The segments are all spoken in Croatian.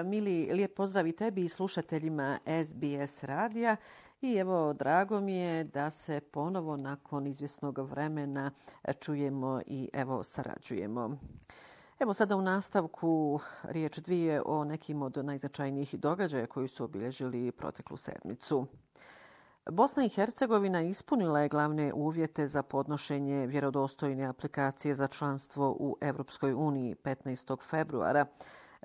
Mili, lijep pozdrav i tebi i slušateljima SBS radija. I evo, drago mi je da se ponovo nakon izvjesnog vremena čujemo i evo sarađujemo. Evo sada u nastavku riječ dvije o nekim od najznačajnijih događaja koji su obilježili proteklu sedmicu. Bosna i Hercegovina ispunila je glavne uvjete za podnošenje vjerodostojne aplikacije za članstvo u Europskoj uniji 15. februara.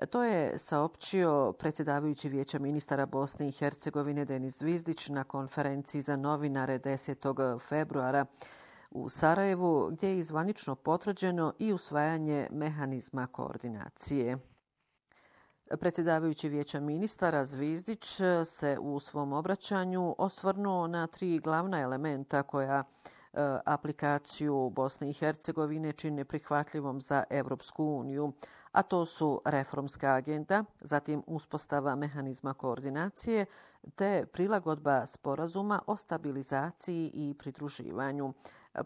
To je saopćio predsjedavajući Vijeća ministara Bosne i Hercegovine Denis Zvizdić na konferenciji za novinare 10. februara u Sarajevu, gdje je zvanično potvrđeno i usvajanje mehanizma koordinacije. Predsjedavajući Vijeća ministara Zvizdić se u svom obraćanju osvrnuo na tri glavna elementa koja aplikaciju Bosne i Hercegovine čine prihvatljivom za Europsku uniju, a to su reformska agenda, zatim uspostava mehanizma koordinacije te prilagodba sporazuma o stabilizaciji i pridruživanju.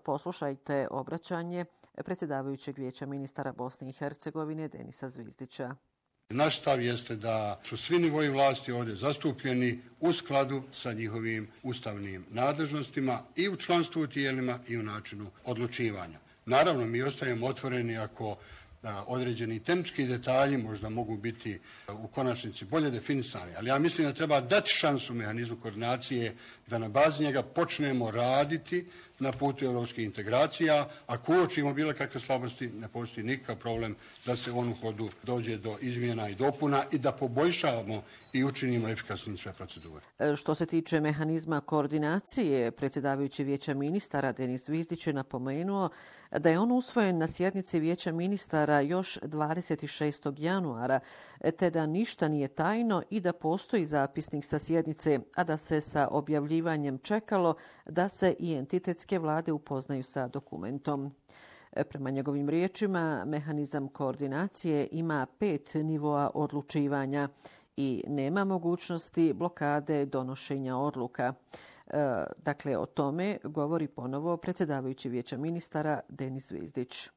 Poslušajte obraćanje predsjedavajućeg Vijeća ministara Bosne i Hercegovine Denisa Zvizdića. Naš stav jeste da su svi nivoji vlasti ovdje zastupljeni u skladu sa njihovim ustavnim nadležnostima i u članstvu u tijelima i u načinu odlučivanja. Naravno, mi ostajemo otvoreni ako određeni tehnički detalji možda mogu biti u konačnici bolje definisani, ali ja mislim da treba dati šansu mehanizmu koordinacije da na bazi njega počnemo raditi na putu europskih integracija. Ako uočimo bilo kakve slabosti, ne postoji nikakav problem da se on u hodu dođe do izmjena i dopuna i da poboljšavamo i učinimo efikasnim sve procedure. Što se tiče mehanizma koordinacije, predsjedavajući Vijeća ministara Denis Zvizdić je napomenuo da je on usvojen na sjednici Vijeća ministara još 26. januara, te da ništa nije tajno i da postoji zapisnik sa sjednice, a da se sa objavljivanjem čekalo da se i entitetske vlade upoznaju sa dokumentom. Prema njegovim riječima, mehanizam koordinacije ima 5 nivoa odlučivanja i nema mogućnosti blokade donošenja odluka. Dakle, o tome govori ponovo predsjedavajući Vijeća ministara Denis Zvizdić.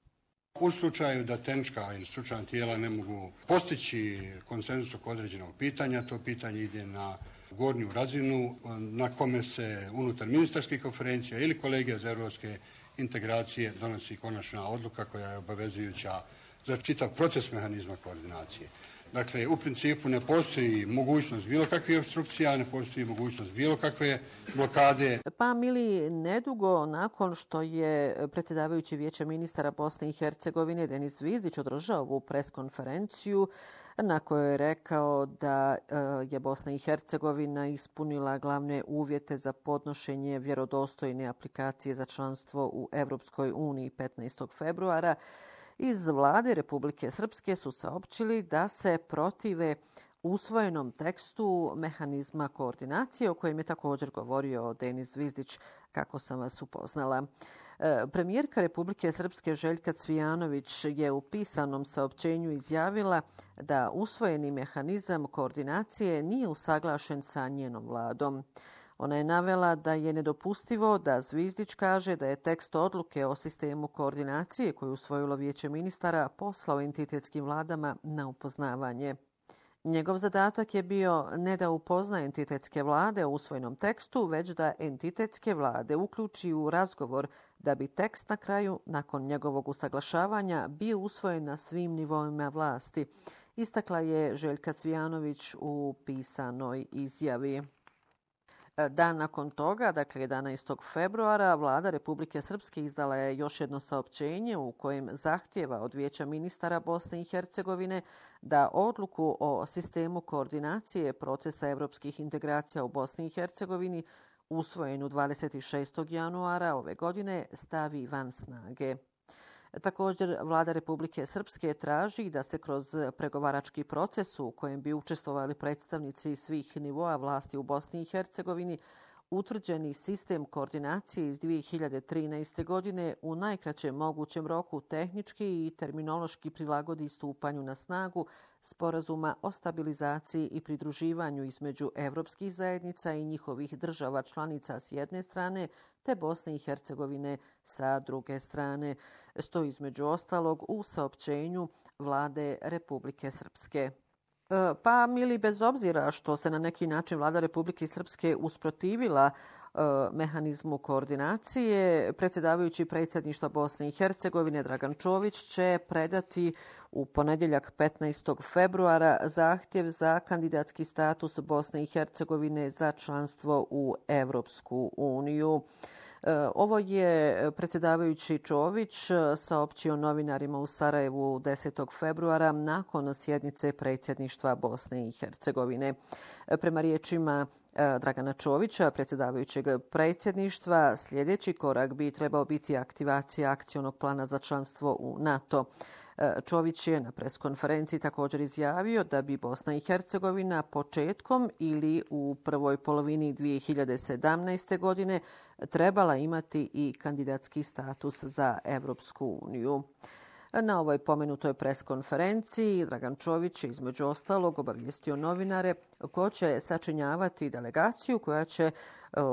U slučaju da tehnička ili stručna tijela ne mogu postići konsenzus oko određenog pitanja, to pitanje ide na gornju razinu na kome se unutar ministarskih konferencija ili kolegija za europske integracije donosi konačna odluka koja je obavezujuća za čitav proces mehanizma koordinacije. Dakle, u principu ne postoji mogućnost bilo kakvih opstrukcija, ne postoji mogućnost bilo kakve blokade. Pa, Mili, nedugo nakon što je predsjedavajući Vijeća ministara Bosne i Hercegovine Denis Zvizdić održao ovu preskonferenciju na kojoj je rekao da je Bosna i Hercegovina ispunila glavne uvjete za podnošenje vjerodostojne aplikacije za članstvo u Europskoj uniji 15. februara, iz vlade Republike Srpske su saopćili da se protive usvojenom tekstu mehanizma koordinacije o kojem je također govorio Denis Zvizdić, kako sam vas upoznala. Premijerka Republike Srpske Željka Cvijanović je u pisanom saopćenju izjavila da usvojeni mehanizam koordinacije nije usaglašen sa njenom vladom. Ona je navela da je nedopustivo da Zvizdić kaže da je tekst odluke o sistemu koordinacije koju je usvojilo Vijeće ministara poslao entitetskim vladama na upoznavanje. Njegov zadatak je bio ne da upozna entitetske vlade o usvojenom tekstu, već da entitetske vlade uključi u razgovor da bi tekst na kraju, nakon njegovog usaglašavanja, bio usvojen na svim nivoima vlasti, istakla je Željka Cvijanović u pisanoj izjavi. Dan nakon toga, dakle 11. februara, vlada Republike Srpske izdala je još jedno saopćenje u kojem zahtijeva od Vijeća ministara Bosne i Hercegovine da odluku o sistemu koordinacije procesa evropskih integracija u Bosni i Hercegovini usvojenu 26. januara ove godine stavi van snage. Također, vlada Republike Srpske traži da se kroz pregovarački proces u kojem bi učestvovali predstavnici svih nivoa vlasti u Bosni i Hercegovini utvrđeni sistem koordinacije iz 2013. godine u najkraćem mogućem roku tehnički i terminološki prilagodi stupanju na snagu Sporazuma o stabilizaciji i pridruživanju između evropskih zajednica i njihovih država članica s jedne strane te Bosne i Hercegovine sa druge strane. Stoji između ostalog u saopćenju vlade Republike Srpske. Pa, Mili, bez obzira što se na neki način vlada Republike Srpske usprotivila mehanizmu koordinacije, predsjedavajući predsjedništva Bosne i Hercegovine Dragan Čović će predati u ponedjeljak 15. februara zahtjev za kandidatski status Bosne i Hercegovine za članstvo u Evropsku uniju. Ovo je predsjedavajući Čović saopćio novinarima u Sarajevu 10. februara nakon sjednice predsjedništva Bosne i Hercegovine. Prema riječima Dragana Čovića, predsjedavajućeg predsjedništva, sljedeći korak bi trebao biti aktivacija akcionog plana za članstvo u NATO. Čović je na preskonferenciji također izjavio da bi Bosna i Hercegovina početkom ili u prvoj polovini 2017. godine trebala imati i kandidatski status za Evropsku uniju. Na ovoj pomenutoj preskonferenciji Dragan Čović je između ostalog obavijestio novinare ko će sačinjavati delegaciju koja će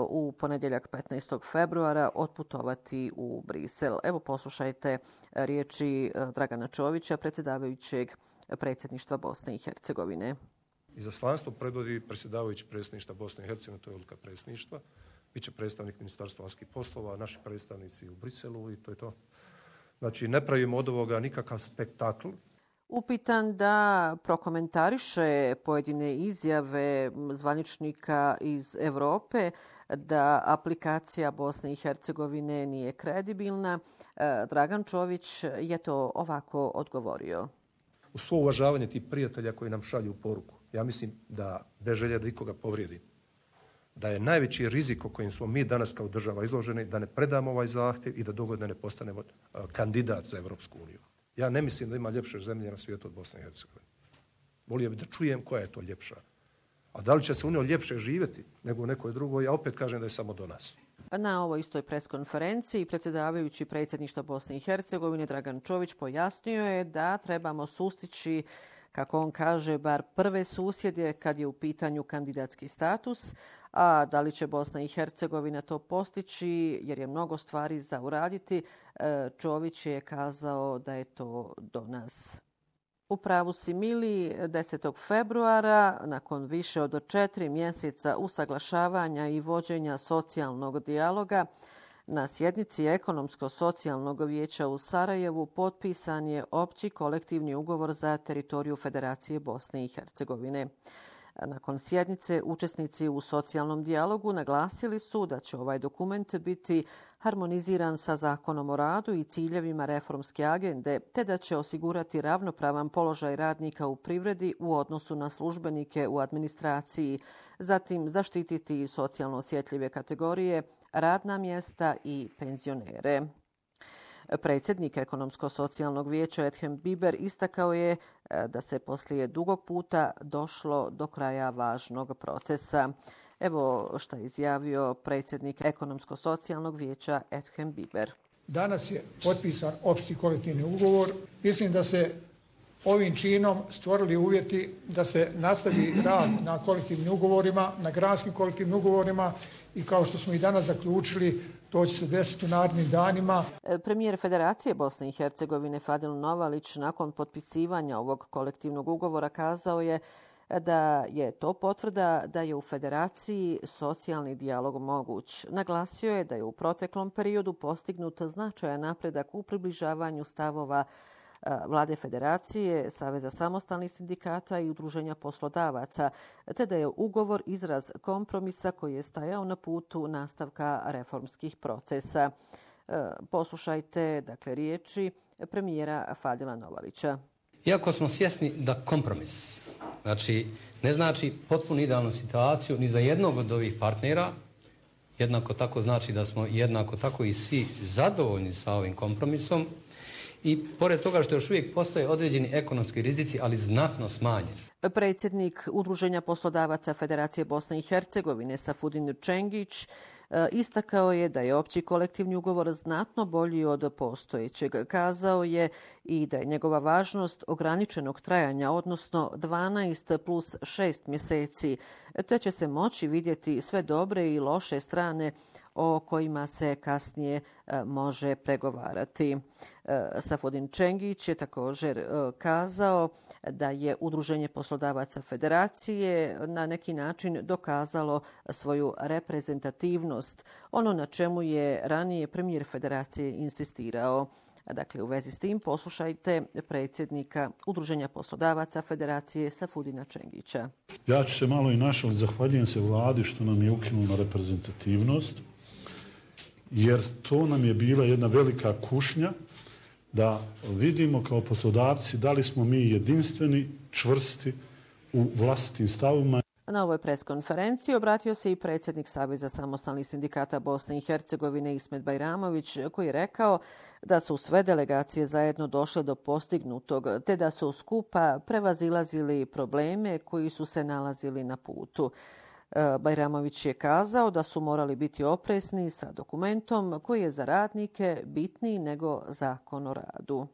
u ponedjeljak 15. februara otputovati u Brisel. Evo poslušajte riječi Dragana Čovića, predsjedavajućeg predsjedništva Bosne i Hercegovine. Izaslanstvo predvodi predsjedavajući predsjedništva Bosne i Hercegovine, to je odluka predsjedništva. Biće predstavnik Ministarstva vanjskih poslova, naši predstavnici u Briselu i to je to. Znači, ne pravimo od ovoga nikakav spektakl. Upitan da prokomentariše pojedine izjave zvaničnika iz Europe da aplikacija Bosne i Hercegovine nije kredibilna, Dragan Čović je to ovako odgovorio. U svo uvažavanje tih prijatelja koji nam šalju poruku, ja mislim da bez želje da ikoga povrijedi, da je najveći rizik o kojem smo mi danas kao država izloženi da ne predamo ovaj zahtjev i da dogodine ne postanemo kandidat za Evropsku uniju. Ja ne mislim da ima ljepše zemlje na svijetu od Bosne i Hercegovine. Volio bih da čujem koja je to ljepša. A da li će se u njoj ljepše živjeti nego u nekoj drugoj, ja opet kažem da je samo do nas. Na ovoj istoj preskonferenciji predsjedavajući predsjedništva Bosne i Hercegovine Dragan Čović pojasnio je da trebamo sustići, kako on kaže, bar prve susjede kad je u pitanju kandidatski status, a da li će Bosna i Hercegovina to postići jer je mnogo stvari za uraditi, Čović je kazao da je to do nas. U pravu si, Mili, 10. februara, nakon više od 4 mjeseca usaglašavanja i vođenja socijalnog dijaloga, na sjednici Ekonomsko-socijalnog vijeća u Sarajevu potpisan je opći kolektivni ugovor za teritoriju Federacije Bosne i Hercegovine. Nakon sjednice, učesnici u socijalnom dijalogu naglasili su da će ovaj dokument biti harmoniziran sa Zakonom o radu i ciljevima reformske agende, te da će osigurati ravnopravan položaj radnika u privredi u odnosu na službenike u administraciji, zatim zaštititi socijalno osjetljive kategorije, radna mjesta i penzionere. Predsjednik Ekonomsko-socijalnog vijeća Ethem Biber istakao je da se poslije dugog puta došlo do kraja važnog procesa. Evo što je izjavio predsjednik Ekonomsko-socijalnog vijeća Ethem Biber. Danas je potpisan opći kolektivni ugovor. Mislim da se ovim činom stvorili uvjeti da se nastavi rad na kolektivnim ugovorima, na granskim kolektivnim ugovorima i kao što smo i danas zaključili, to će se desiti u narednim danima. Premijer Federacije Bosne i Hercegovine Fadil Novalić nakon potpisivanja ovog kolektivnog ugovora kazao je da je to potvrda da je u Federaciji socijalni dijalog moguć. Naglasio je da je u proteklom periodu postignut značajan napredak u približavanju stavova Vlade Federacije, Saveza samostalnih sindikata i udruženja poslodavaca, te da je ugovor izraz kompromisa koji je stajao na putu nastavka reformskih procesa. Poslušajte, dakle, riječi premijera Fadila Novalića. Iako smo svjesni da kompromis, znači, ne znači potpuno idealnu situaciju ni za jednog od ovih partnera, jednako tako znači da smo jednako tako i svi zadovoljni sa ovim kompromisom, i pored toga što još uvijek postoje određeni ekonomski rizici, ali znatno smanjeni. Predsjednik Udruženja poslodavaca Federacije Bosne i Hercegovine Safudin Čengić istakao je da je opći kolektivni ugovor znatno bolji od postojećeg. Kazao je i da je njegova važnost ograničenog trajanja, odnosno 12 plus 6 mjeseci, te će se moći vidjeti sve dobre i loše strane o kojima se kasnije može pregovarati. Safudin Čengić je također kazao da je Udruženje poslodavaca Federacije na neki način dokazalo svoju reprezentativnost, ono na čemu je ranije premijer Federacije insistirao. Dakle, u vezi s tim poslušajte predsjednika Udruženja poslodavaca Federacije Safudina Čengića. Ja ću se malo i našaliti, zahvaljujem se vladi što nam je ukinula reprezentativnost, jer to nam je bila jedna velika kušnja da vidimo kao poslodavci da li smo mi jedinstveni, čvrsti u vlastitim stavima. Na ovoj preskonferenciji obratio se i predsjednik Saveza samostalnih sindikata Bosne i Hercegovine Ismet Bajramović, koji je rekao da su sve delegacije zajedno došle do postignutog, te da su skupa prevazilazili probleme koji su se nalazili na putu. Bajramović je kazao da su morali biti oprezni sa dokumentom koji je za radnike bitniji nego Zakon o radu.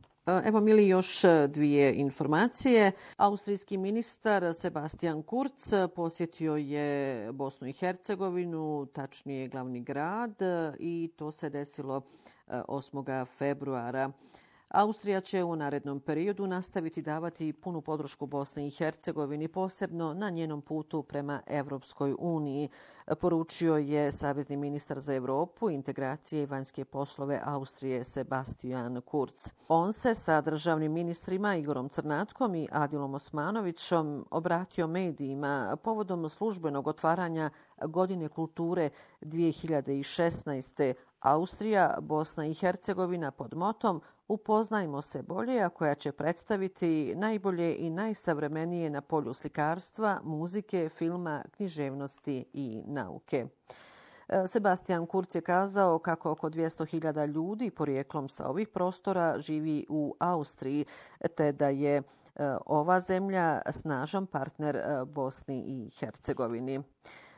Evo, Mili, još dvije informacije. Austrijski ministar Sebastian Kurz posjetio je Bosnu i Hercegovinu, tačnije glavni grad, i to se desilo 8. februara. Austrija će u narednom periodu nastaviti davati punu podršku Bosni i Hercegovini, posebno na njenom putu prema Evropskoj uniji, poručio je savezni ministar za Europu, integracije i vanjske poslove Austrije Sebastian Kurz. On se sa državnim ministrima Igorom Crnatkom i Adilom Osmanovićom obratio medijima povodom službenog otvaranja Godine kulture 2016. Austrija, Bosna i Hercegovina pod motom Upoznajmo se bolje, a koja će predstaviti najbolje i najsavremenije na polju slikarstva, muzike, filma, književnosti i nauke. Sebastian Kurz je kazao kako oko 200.000 ljudi porijeklom sa ovih prostora živi u Austriji, te da je ova zemlja snažan partner Bosni i Hercegovini.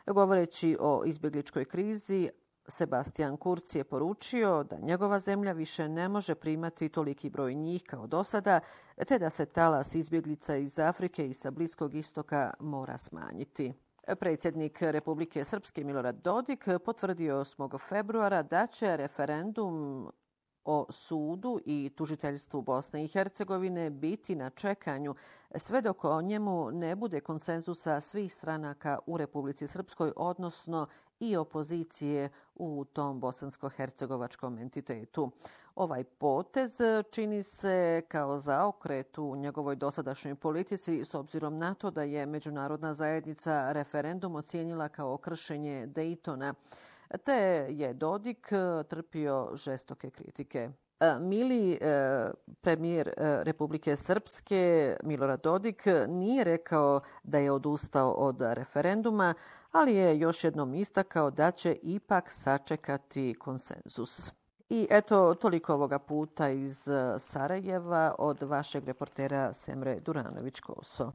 Govoreći o izbjegličkoj krizi, Sebastian Kurz je poručio da njegova zemlja više ne može primati toliki broj njih kao do sada, te da se talas izbjeglica iz Afrike i sa Bliskog istoka mora smanjiti. Predsjednik Republike Srpske Milorad Dodik potvrdio 8. februara da će referendum o sudu i tužiteljstvu Bosne i Hercegovine biti na čekanju sve dok o njemu ne bude konsenzusa svih stranaka u Republici Srpskoj, odnosno i opozicije u tom bosansko-hercegovačkom entitetu. Ovaj potez čini se kao zaokret u njegovoj dosadašnjoj politici s obzirom na to da je međunarodna zajednica referendum ocijenila kao kršenje Dejtona, te je Dodik trpio žestoke kritike. Mili, premijer Republike Srpske Milorad Dodik nije rekao da je odustao od referenduma, ali je još jednom istakao da će ipak sačekati konsenzus. I eto, toliko ovoga puta iz Sarajeva od vašeg reportera Semre Duranović-Koso.